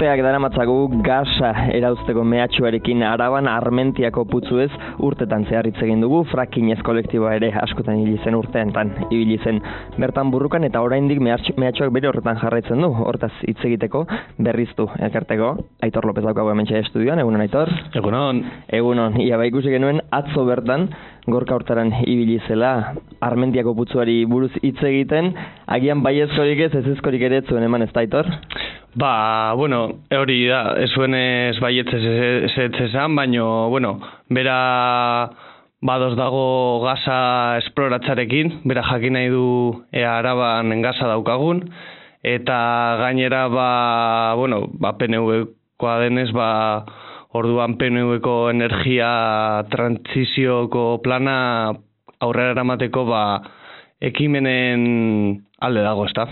urteak daramatzagu gasa erauzteko mehatxuarekin Araban Armentiako putzuez urtetan zehar hitz egin dugu. Fracking ez kolektiboa ere askotan ibili zen urteetan ibili zen bertan burrukan eta oraindik mehatxuak bere horretan jarraitzen du. Hortaz hitz egiteko berriztu elkarteko Aitor Lopez daukagu hementxe estudioan. Egunon, Aitor? Egunon. Ia ikusi genuen atzo bertan Gorka Hortaran ibili zela Armentiako putzuari buruz hitz egiten, agian baiezkorik ez, ezezkorik ere zuen eman, ez da, Aitor? Hori da, ez zuen ez baietz ez esan, baina, bera badoz dago gaza esploratzarekin, bera jakin nahi du Araban gaza daukagun, eta gainera, PNV-koa denez, orduan PNV-ko energia trantsizioko plana aurrera eramateko ekimenen alde dago, ezta?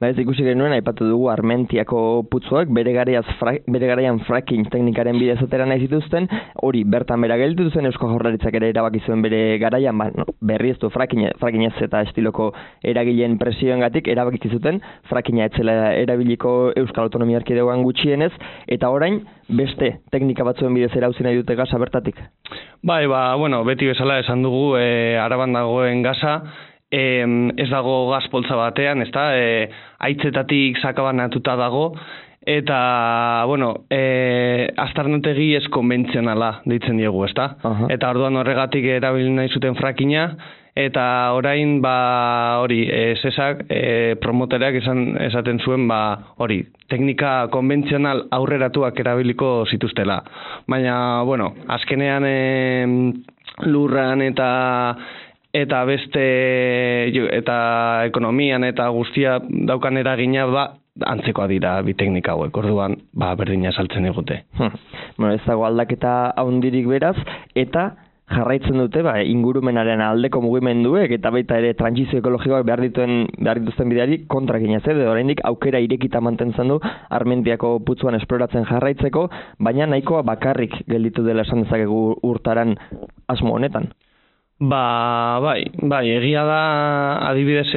Ez ikusi genuen, aipatu dugu Armentiako putzuak bere garaian fracking teknikaren bidez atera nahi zituzten, hori bertan bera gelditu zen, Eusko Jaurlaritzak ere erabaki zuen bere garaian, berrieztu fracking ez eta estiloko eragileen presioengatik erabaki zuten frackinga etzela erabiliko Euskal Autonomia Erkidegoan gutxienez, eta orain beste teknika batzuen bidez erauzi nahi dute gaza bertatik. Beti bezala esan dugu, Araban dagoen gaza, ez dago gaz poltsa batean, ezta? Haitzetatik sakabanatuta dago, eta, aztarnategi ez konbentzionala deitzen diegu, ezta? Eta orduan horregatik erabili nahi zuten frackinga, eta orain, zesak, promotereak esaten zuen, teknika konbentzional aurreratuak erabiliko zituztela. Baina, azkenean lurran eta beste eta ekonomian eta guztia daukan eragina antzekoa dira bi teknika hauek. Orduan berdina saltzen digute. Ez dago aldaketa handirik beraz eta jarraitzen dute ingurumenaren aldeko mugimenduek eta baita ere trantsizio ekologikoak behar dituzten bideari kontra ginez, oraindik aukera irekita mantentzen du Armentiako putzuan esploratzen jarraitzeko, baina nahikoa bakarrik gelditu dela esan dezakegu urtaran asmo honetan. Egia da, adibidez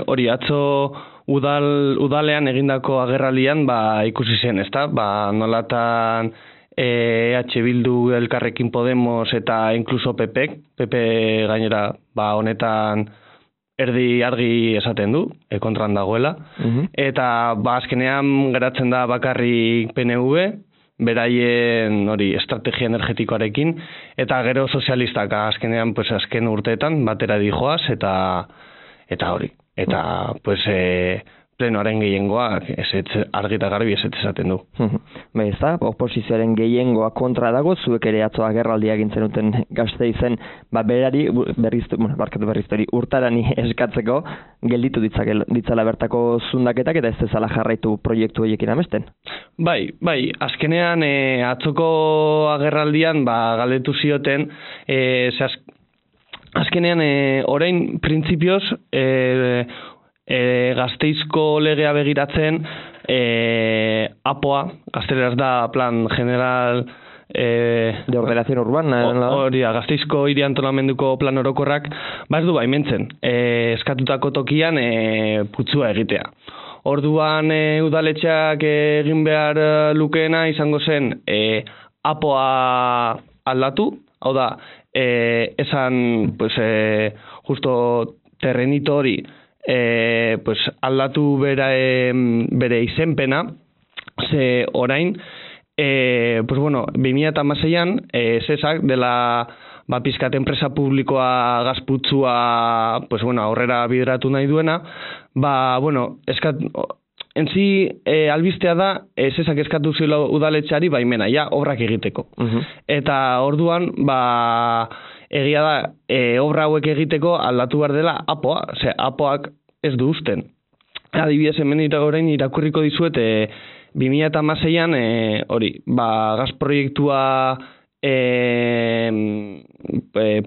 hori atzo udalean egindako agerraldian ikusi zen, ezta? Nolatan EH Bildu, Elkarrekin Podemos eta inkluso PP gainera honetan erdi argi esaten du, kontran dagoela, eta azkenean geratzen da bakarrik PNV, beraien estrategia energetikoarekin, eta gero sozialistak azkenean azken urteetan batera dijoaz, eta hori. Eta plenoaren gehiengoak argi eta garbi ez esaten du. Oposizioaren gehiengoa kontra dago, zuek ere atzo agerraldia egin zenuten Gasteizen, berari berriztori urtarani eskatzeko gelditu ditzala bertako zundaketak eta ez dezala jarraitu proiektu horiekin amesten. Azkenean atzoko agerraldian galdetu zioten, azkenean orain printzipioz Gasteizko legea begiratzen APOA, gazteleraz da Plan General de Ordenación Urbana, hori da, Gasteizko hiri antolamenduko plan orokorrak ez du baimentzen, eskatutako tokian putzua egitea. Orduan udaletxeak egin behar lukeena izango zen APOA aldatu, hau da, esan justo terrenito hori aldatu bere izenpena, ze orain 2016an zesak dela pizkat enpresa publikoa gazputzua aurrera bideratu nahi duena, albistea da zesak eskatu zela udaletxeari baimena, obrak egiteko. Eta orduan, egia da, obra hauek egiteko aldatu behar dela APOA, APOak ez du usten. Adibidez, hemen orain irakurriko dizuet, 2016an, gaz proiektua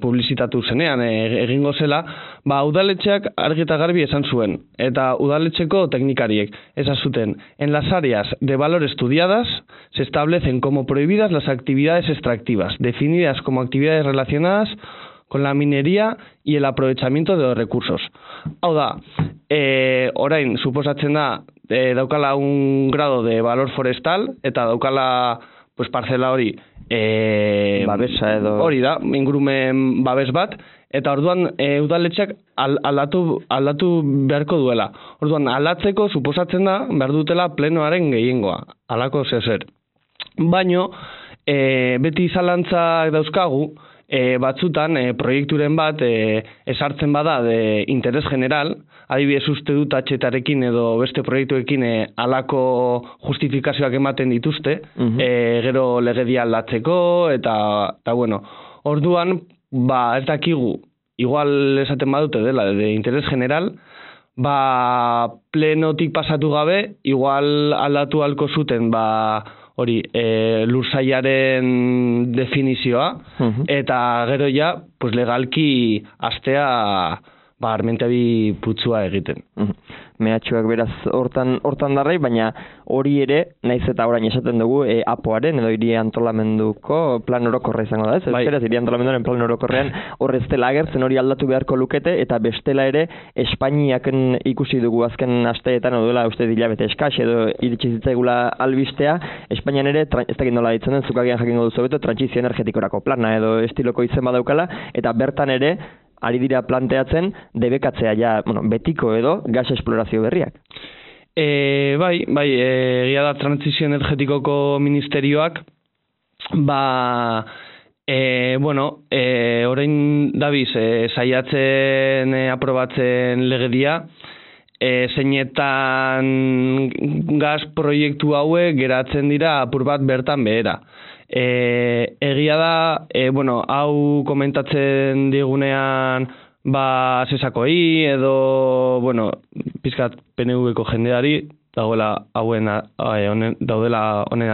publizitatu zenean, egingo zela, udaletxeak argi eta garbi esan zuen, eta udaletxeko teknikariek esan zuten, en las áreas de valor estudiadas se establecen como prohibidas las actividades extractivas, definidas como actividades relacionadas con la minería y el aprovechamiento de los recursos. Hau da, orain, suposatzen da, daukala un grado de valor forestal, eta daukala pues, parcela hori babesa edo hori da, ingurumen babes bat, eta orduan udaletxeak aldatu beharko duela. Orduan aldatzeko suposatzen da behar dutela plenoaren gehiengoa, halako zer. Baino, beti zalantzak dauzkagu, batzutan proiekturen bat esartzen bada de interes general, adibidez uste dut atxetarekin edo beste proiektuekin halako justifikazioak ematen dituzte, gero legedia aldatzeko, eta bueno, orduan, ez dakigu, igual esaten badute dela, de interes general, plenotik pasatu gabe, igual aldatu halko zuten, hori, lursailaren definizioa, eta gero ja, pues legalki astea armentiabi putzua egiten. Mehatxuak beraz hortan darrai, baina hori ere, naiz eta orain esaten dugu, APOaren edo hiri antolamenduko plan orokorra izango da, ez? Euskaraz, hiri antolamenduaren plan orokorrean horrez dela agertzen hori aldatu beharko lukete, eta bestela ere, Espainiaken ikusi dugu azken asteetan, duela uste hilabete eskaz, edo iritsi zitzaigula albistea, Espainian ere, ez dakit nola ditzen den, zukagian jakingo duzu beto, trantsizio energetikorako plana, edo estiloko izen badaukala, eta bertan ere, ari dira planteatzen debekatzea ja, betiko edo gas esplorazio berriak. Egia da trantsizio energetikoko ministerioak, orain dabiz, saiatzen aprobatzen legedia, zeinetan gas proiektu hauek geratzen dira apur bat bertan behera. Egia da, hau komentatzen digunean sesakoi edo, pizkat PNV-ko jendeari, daudela honen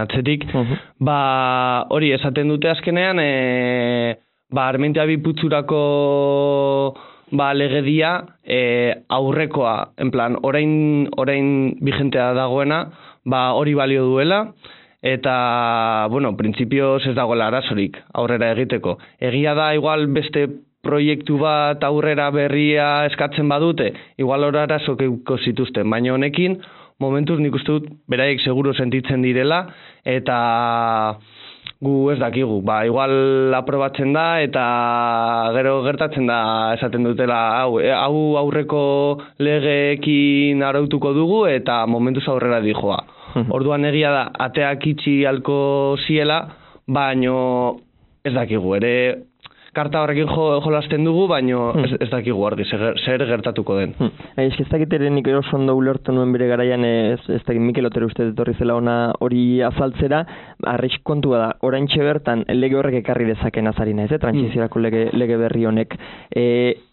atzetik, hori esaten dute azkenean, Armentiabi putzurako legedia aurrekoa, en plan, orain vigentea dagoena, hori balio duela, eta, printzipioz ez dagoela arazorik aurrera egiteko. Egia da, igual beste proiektu bat aurrera berria eskatzen badute, igual hor arazok euko zituzten, baina honekin, momentuz nik uste dut, beraiek seguro sentitzen direla, eta gu ez dakigu. Igual aprobatzen da, eta gero gertatzen da esaten dutela, hau aurreko legeekin arautuko dugu, eta momentuz aurrera dijoa. Orduan egia da, ateak itxi halko ziela, baino ez dakigu, ere karta horrekin jolasten dugu, baino ez dakigu argi, zer gertatuko den. Ez dakit ere nik eroso ondo ulertu nuen bere garaian, ez dakit Mikel Otero uste etorri zela ona hori azaltzera, arrisku kontua da, oraintxe bertan lege horrek ekarri dezaken azarina, ez, trantsiziorako lege berri honek.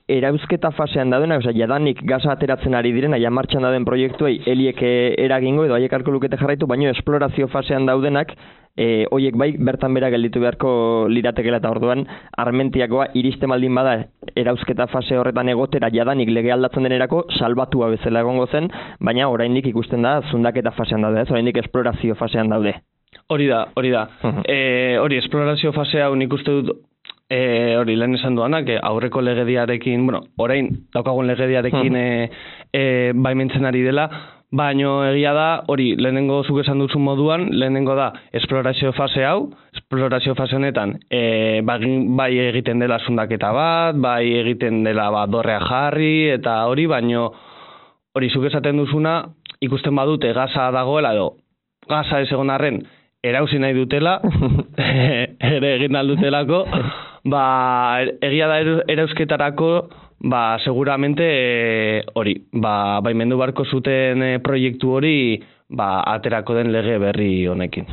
Erauzketa fasean daudenak, jadanik gaza ateratzen ari diren, martxan dauden proiektuei heliek eragingo edo haiek harko lukete jarraitu, baino esplorazio fasean daudenak, hoiek bai bertan bera gelditu beharko liratekela eta orduan Armentiakoa iriste maldin bada erauzketa fase horretan egotera jadanik lege aldatzen denerako salbatua bezala egongo zen, baina oraindik ikusten da zundaketa fasean daude, ez? Oraindik esplorazio fasean daude. Hori da. Hori esplorazio fasea nik uste dut hori lehen esan duanak, aurreko legediarekin, orain daukagun legediarekin baimentzen ari dela, baino egia da, hori lehenengo zuk esan duzun moduan, lehenengo da esplorazio fase hau, esplorazio fase honetan bai egiten dela zundaketa bat, bai egiten dela dorrea jarri, eta hori, baino hori zuk esaten duzuna, ikusten badute gaza dagoela edo, gaza ez egon arren, erauzi nahi dutela, ere egin aldutelako, egia da erauzketarako, seguramente hori, baimendu barko zuten proiektu hori, aterako den lege berri honekin.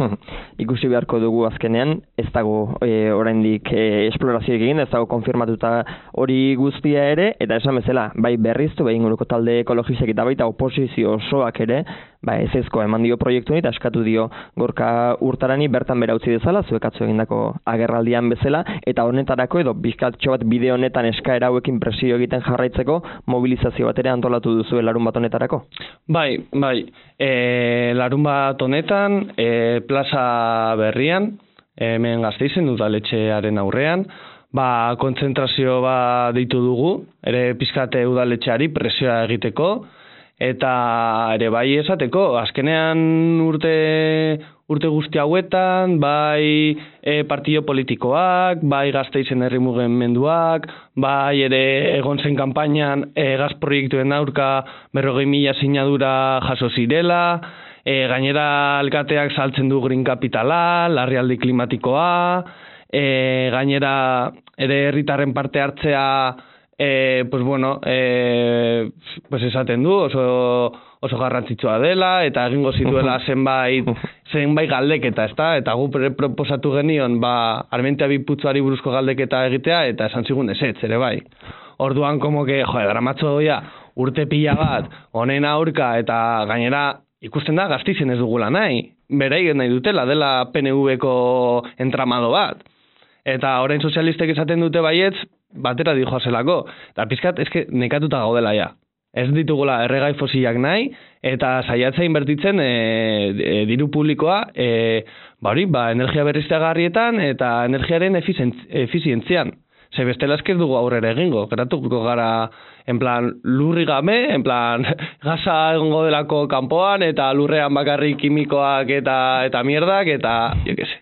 Ikusi beharko dugu azkenean, ez dago oraindik esplorazioek egin, ez dago konfirmatuta hori guztia ere, eta esan bezala, bai berriztu, bai inguruko talde ekologistek eta baita oposizio osoak ere, ez ezko eman dio proiektu eta eskatu dio Gorka Urtarani bertan bera utzi dezala, zuek atzo egindako agerraldian bezala, eta honetarako edo bizkatxo bat bide honetan eskaera hauekin presio egiten jarraitzeko mobilizazio bat ere antolatu duzu larun bat honetarako? Bai, larun bat honetan, plaza berrian, hemen Gasteizen udaletxearen aurrean, kontzentrazio bat deitu dugu, ere pizkate udaletxeari presioa egiteko, eta ere bai esateko, azkenean urte guzti hauetan, bai partido politikoak, bai Gasteizen herri mugimenduak, bai ere egon zen kanpainan gaz proiektuen aurka 40.000 sinadura jaso zirela, gainera alkateak saltzen du green kapitala, larrialdi klimatikoa, gainera ere herritarren parte hartzea pues esaten du oso garrantzitsua dela eta egingo zituela zenbait galdeketa, ezta? Eta gu proposatu genion Armentia Biputzuari buruzko galdeketa egitea eta esan zigun ezetz ere bai. Orduan como que dramatzo doia urte pila bat honen aurka eta gainera ikusten da Gasteizen ez dugula nahi. Beraiek nahi dutela dela PNV-ko entramado bat. Eta orain sozialistek esaten dute baietz batera dijoazelako. Eta pizkat eske nekatuta gaudela ja. Ez ditugula erregai fosilak nahi, eta saiatzea inbertitzen diru publikoa energia berriztagarrietan eta energiaren efizientzian. Ze bestela esker dugu aurrera egingo. Geratuko gara en plan lurri gabe, en plan gaza egongo delako kanpoan eta lurrean bakarrik kimikoak eta mierdak eta jo que se.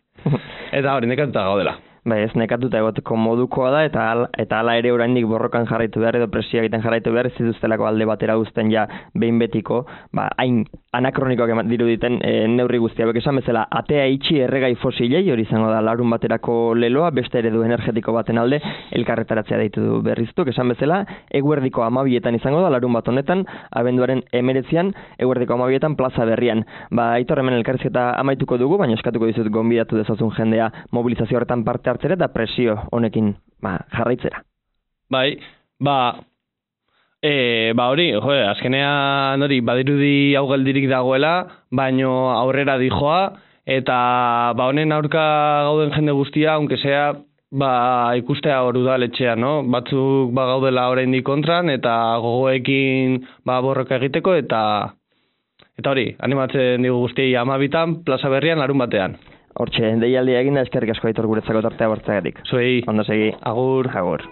Eta hori nekatuta gaudela. Bai, ez nekatuta egoteko modukoa da, eta hala ere oraindik borrokan jarraitu behar, edo presioa egiten jarraitu behar, ez dituztelako alde batera uzten ja behin betiko, hain anakronikoak diruditen neurri guztia. Bek esan bezala, atea itxi erregai fosilei, hori izango da larun baterako leloa, beste eredu energetiko baten alde, elkarretaratzea deitu du berriztuk. Esan bezala, eguerdiko 12etan izango da, larun bat honetan, abenduaren 19an, eguerdiko 12etan plaza berrian. Aitor hemen elkarrizketa amaituko dugu, baina eskatuko dizut gonbidatu dezazun jendea mobilizazio horretan parte hartzera eta presio honekin jarraitzera. Bai, hori, azkenean hori badirudi hau geldirik dagoela, baino aurrera dijoa, eta honen aurka gauden jende guztia, aunque sea, ikustea hor udaletxea, no? Batzuk gaudela oraindik kontran, eta gogoekin borroka egiteko, eta hori, animatzen digu guztiei 12etan, plaza berrian, larun batean. Hortxe, deialdia eginda eskerrik asko Aitor guretzako tartea bortzagatik. Zuei. Ondo segi. Agur. Agur.